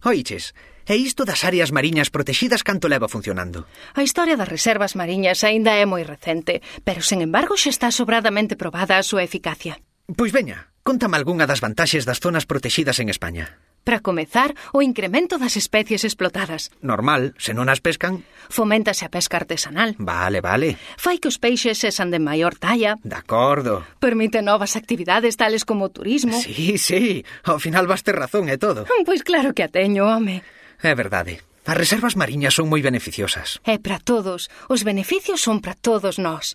Oiches, e isto das áreas mariñas protexidas canto leva funcionando? A historia das reservas mariñas aínda é moi recente, pero, sen embargo, xa está sobradamente probada a súa eficacia. Pois veña, contame algunha das vantaxes das zonas protexidas en España. Para comezar, o incremento das especies explotadas. Normal, se non as pescan. Foméntase a pesca artesanal. Vale. Fai que os peixes sexan de maior talla. De acordo. Permite novas actividades tales como o turismo. Sí, ao final vas ter razón e todo. Pois claro que a teño, home. É verdade. As reservas mariñas son moi beneficiosas. É para todos. Os beneficios son para todos nós.